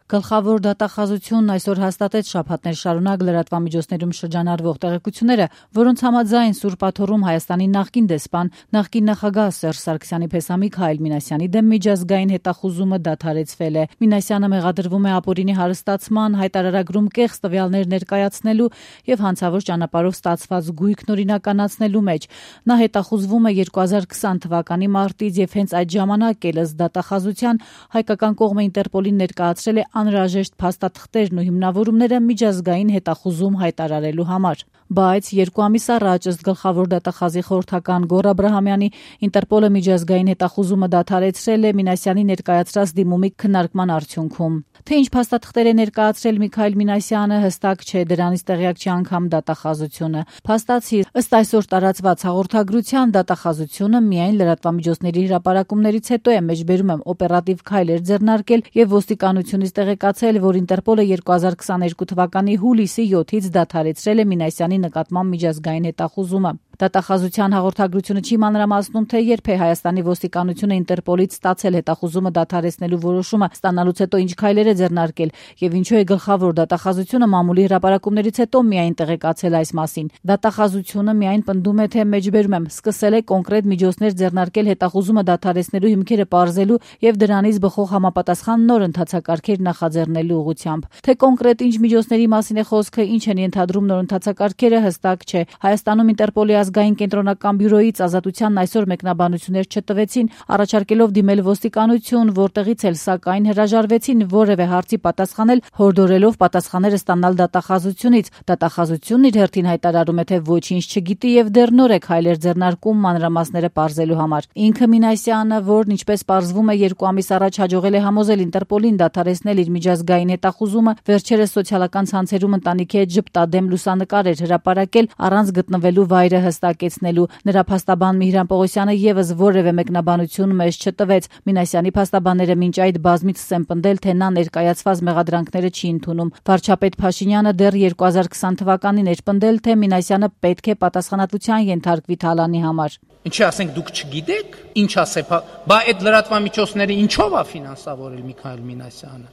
Գլխավոր դատախազությունն այսօր հաստատեց շաբաթներ շարունակ լրատվամիջոցներում շրջանառվող տեղեկությունները, որոնց համաձայն Սուրբ Աթոռում Հայաստանի նախկին դեսպան, նախկին նախագահ Սերժ Սարգսյանի փեսամիկ Հայլ Մինասյանի դեմ միջազգային հետախուզումը դադարեցվել է։ Մինասյանը մեղադրվում է ապօրինի հարստացման, հայտարարագրում կեղծ տվյալներ ներկայացնելու եւ հանցավոր ճանապարհով ստացված գույքն օրինականացնելու մեջ։ Նա հետախուզվում է 2020 թվականի մարտից եւ հենց այդ ժամանակ ելս դատախազության հայկական կողմը Ինտերպոլին ներկայացրել է անհրաժեշտ փաստաթղթերն ու հիմնավորումները միջազգային հետախուզում հայտարարելու համար։ Բայց 2 ամիս առաջ ըստ գլխավոր դատախազի խորհրդական Գոռ Աբրահամյանի Ինտերպոլը միջազգային հետախուզումը դադարեցրել է Մինասյանի ներկայացրած դիմումի քննարկման արդյունքում։ Թե ինչ փաստաթղթեր է ներկայացրել Միքայել Մինասյանը հստակ չէ, դրանից տեղյակ չի անգամ դատախազությունը։ Փաստացի ըստ այսօր տարածված հաղորդագրության դատախազությունը միայն լրատվամիջոցների հրապարակումներից հետո է մեջբերում օպերատիվ քայլեր ձեռնարկել եւ ոստիկանությունից տեղեկացել, որ Ինտերպոլը 2022 թվականի հուլիսի 7-ից դադարեցրել է Մինասյանի նկատմամբ միջազգային հետախուզումը։ Դատախազության հաղորդագրությունը չի մանրամասնում, թե երբ է Հայաստանի ոստիկանությունը Ինտերպոլից ստացել հետախուզումը դադարեցնելու որոշումը, ստանալուց հետո ինչ քայլեր է ձեռնարկել եւ ինչու է գլխավոր դատախազությունը մամուլի հրապարակումներից հետո միայն տեղեկացել այս մասին։ Դատախազությունը միայն պնդում է, թե մեջբերում եմ սկսել է կոնկրետ միջոցներ ձեռնարկել հետախուզումը դադարեցնելու հիմքերը պարզելու եւ դրանից բխող համապատասխան նոր ընթացակարգեր նախաձեռնելու ուղղությամբ։ Թե կոնկրետ ինչ միջոցների մասին է խոսքը, ինչ են ենթադրում նոր ընթացակարգերը, հստակ չէ։ Հայաստանում Ինտերպոլի ազգային կենտրոնական բյուրոյից Ազատությանն այսօր մեկնաբանություններ չտվեցին, առաջարկելով դիմել ոստիկանություն, որտեղից էլ սակայն հրաժարվեցին որևէ հարցի պատասխանել, հորդորելով պատասխանները ստանալ դատախազությունից։ Դատախազությունն իր հերթին հայտարարում է, թե ոչինչ չգիտի եւ դեռ նոր է քայլեր ձեռնարկում մանրամասները պարզելու համար։ Ինքը Մինասյանը, որն ինչպես պարզվում է 2 ամիս առաջ հաջողել է համոզել Ինտերպոլին դադարեցնել իր միջազգային հետախուզումը, վերջերս սոցիալական ցանցերում ընտանիքի հետ ժպտադեմ լուսանկար էր հրապարակել առանց գտնվելու վայրը հստակեցնելու։ Նրա փաստաբան Միհրան Պողոսյանը եւս որևէ մեկնաբանություն մեզ չտվեց։ Մինասյանի փաստաբանները մինչ այդ բազմիցս են պնդել, թե նա ներկայացված մեղադրանքները չի ընդունում։ Վարչապետ Փաշինյանը դեռ 2020 թվականին էր պնդել, թե Մինասյանը պետք է պատասխանատվության ենթարկվի թալանի համար։ Ինչի ասենք դուք չգիտեք, ինչ ասեք, բա այդ լրատվամիջոցները ինչով է ֆինանսավորել Միքայել Մինասյանը։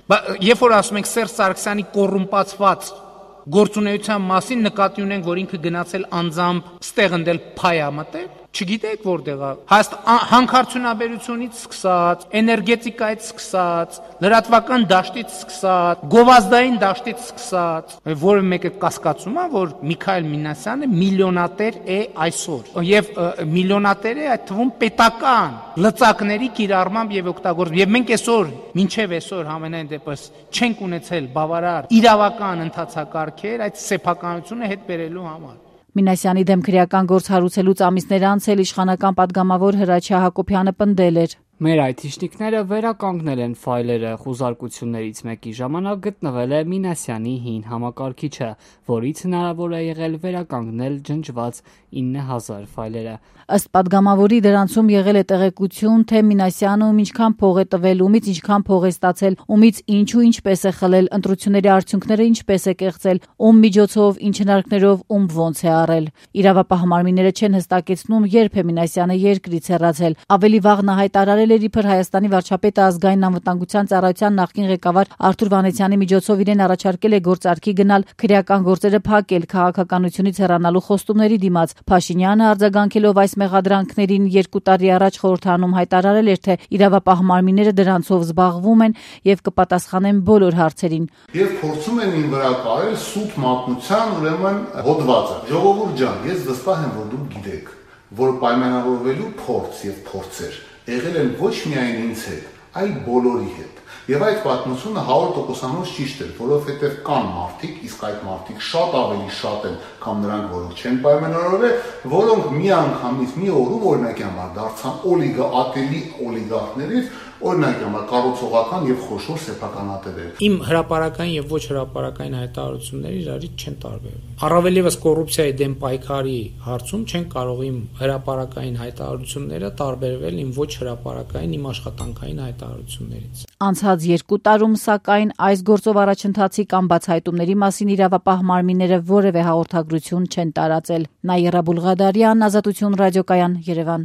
Բա երբ որ ասում ենք Սերժ Սարգսյանի կոռումպացված գործունեության մասին նկատի ունենք, որ ինքը գնացել անձամբ ստեղ ընդել փայա մտել, չգիտեք որտեղ է։ Հանքարդյունաբերությունից սկսած, էներգետիկայից սկսած, լրատվական դաշտից սկսած, գովազդային դաշտից սկսած, որը մեկը կասկածում է, որ Միքայել Մինասյանը միլիոնատեր է այսօր, եւ միլիոնատեր է այդ թվում պետական լծակների կիրառմամբ եւ օգտագործմամբ։ Եվ մենք այսօր, մինչեւ այսօր համենայն դեպս չենք ունեցել բավարար իրավական ընթացակարգեր այդ սեփականությունը հետ բերելու համար։ Մինասյանի դեմ քրեական գործ հարուցելուց ամիսներ անց էլ իշխանական падգամավոր Հրաչյա Հակոբյանը պնդել էր. Մեր այթիշնիկները վերականգնել են ֆայլերը, խոզարկություններից մեկի ժամանակ գտնվել է Մինասյանի հին համակարգիչը, որից հնարավոր է եղել վերականգնել ջնջված 9000 ֆայլերը։ Ըստ падգամավորի դրանցում եղել է տեղեկություն, թե Մինասյանը ում ինչքան փող է տվել, ումից ինչքան փող է ստացել, ումից ինչու ինչպես է խլել, ընտրությունների արդյունքները ինչպես է կեղծել, ում միջոցով, ինչ հնարքներով, ում ոնց է առել։ Իրավապահ մարմինները չեն հստակեցնում, երբ է Մինասյանը երկրից հեռացել։ Ավելի վաղ նա հայտարարել էր իբր Հայաստանի վարչապետը ազգային անվտանգության ծառայության նախկին ղեկավար Արթուր Վանեցյանի միջոցով իրեն առաջարկել է գործարքի գնալ, քրեական գործերը փակել, քաղաքականությունից հեռանալու խոստումների դիմաց։ Փաշինյանը արձագանքելով այս մեղադրանքներին 2 տարի առաջ խորհրդանում հայտարարել էր, թե իրավապահ մարմինները դրանցով զբաղվում են եւ կպատասխանեն բոլոր հարցերին։ Եվ փորձում են ին վրա կարել սուտ մատնության ուրեմն հոդվածը։ Ժողովուրդ ջան, ես վստահ եմ, որ դուք գիտեք, որ պայմանավորվելու փորձ եւ փորձեր եղել են ոչ միայն ինձ հետ, այլ բոլորի հետ։ Եվ այդ պատմությունը 100%-անոց ճիշտ էր, որովհետև կան մարդիկ, իսկ այդ մարդիկ շատ ավելի շատ են, քան նրանք, որոնք չեն պայմանավորվել, որոնք մի անգամից մի օրում օրինակի համար դարձան ատելի օլիգարխներից, օրինակ համար կառուցողական եւ խոշոր սեփականատերեր։ Իմ հրապարակային եւ ոչ հրապարակային հայտարարությունները իրարից չեն տարբերվում։ Առավել եւս կոռուպցիայի դեմ պայքարի հարցում չեն կարող իմ հրապարակային հայտարարությունները տարբերվել իմ ոչ հրապարակային, իմ աշխատանքային հայտարարություններից։ Անցած 2 տարում, սակայն, այս գործով առաջընթացի կամ բացահայտումների մասին իրավապահ մարմինները որևէ հաղորդագրություն չեն տարածել։ Նաիրա Բուլղադարյան, Ազատություն ռադիոկայան, Երևան։